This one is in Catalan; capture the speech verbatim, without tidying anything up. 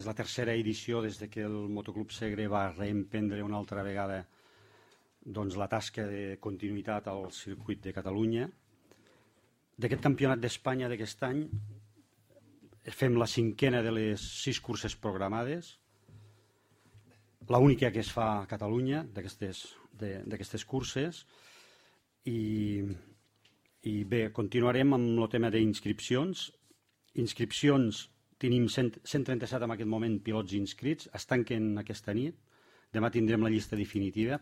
És la tercera edició des de que el Motoclub Segre va reemprendre una altra vegada doncs, la tasca de continuïtat al circuit de Catalunya. D'aquest campionat d'Espanya d'aquest any fem la cinquena de les sis curses programades, l'única que es fa a Catalunya d'aquestes curses, i, i bé, continuarem amb el tema d'inscripcions. Inscripcions, tenim cent trenta-set en aquest moment pilots inscrits, es tanquen aquesta nit, demà tindrem la llista definitiva.